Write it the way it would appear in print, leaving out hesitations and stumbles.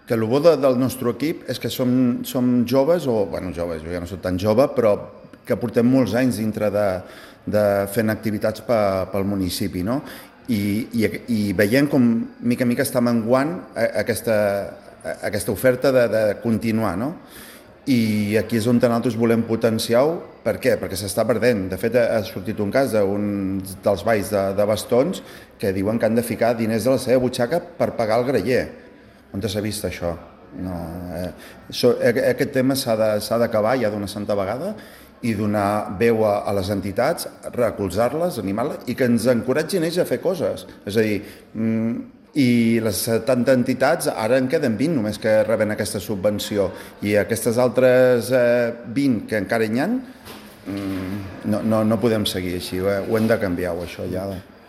que el bo del nostre equip és que som joves, joves, jo ja no soc tan jove, però que portem molts anys dintre de fent activitats pel municipi, no? I veient com mica en mica està menguant aquesta oferta de continuar, no? I aquí és on nosaltres volem potenciar-ho. Per què? Perquè s'està perdent. De fet, ha sortit un cas d'un dels balls de bastons que diuen que han de ficar diners de la seva butxaca per pagar el graller. On s'ha vist això? No, aquest tema s'ha d'acabar ja d'una santa vegada i donar veu a les entitats, recolzar-les, animar-les i que ens encoratgin ells a fer coses. És a dir, i les 70 entitats ara en queden 20 només que reben aquesta subvenció i aquestes altres 20 que encara hi ha no podem seguir així, ho hem de canviar això ja.